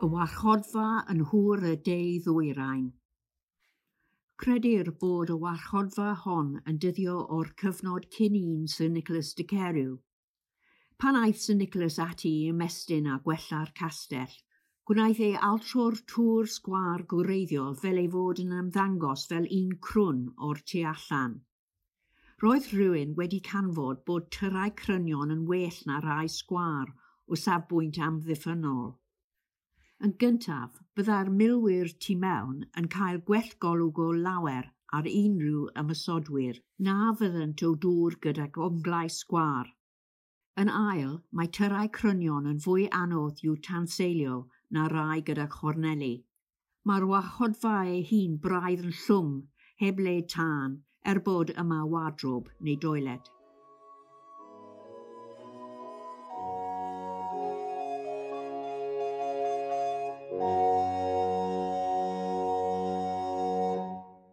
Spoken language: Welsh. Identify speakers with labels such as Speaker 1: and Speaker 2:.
Speaker 1: Y warchodfa yn Nhŵr y De Ddwyrain. Credir bod y warchodfa hon yn dyddio o'r cyfnod cyn un Sir Nicholas de Carew. Pan aeth Sir Nicholas ati i ymestyn a gwella'r castell, gwnaeth ei altro'r tŵr sgwâr gwreiddiol fel ei fod yn ymddangos fel un crwn o'r tu allan. Roedd rhywun wedi canfod bod tyrau crynion yn well na rhai sgwâr o safbwynt amddiffynnol. Yn gyntaf, byddai'r milwyr tu mewn yn cael gwell golwg o lawer ar unrhyw ymosodwyr na fyddent o dŵr gydag onglau sgwâr. Yn ail, mae tyrau crynion yn fwy anodd i'w tanseilio na rai gyda chorneli. Mae'r warchodfa ei hun braidd yn llwm, heb le tân, er bod yma wardrob neu doiled.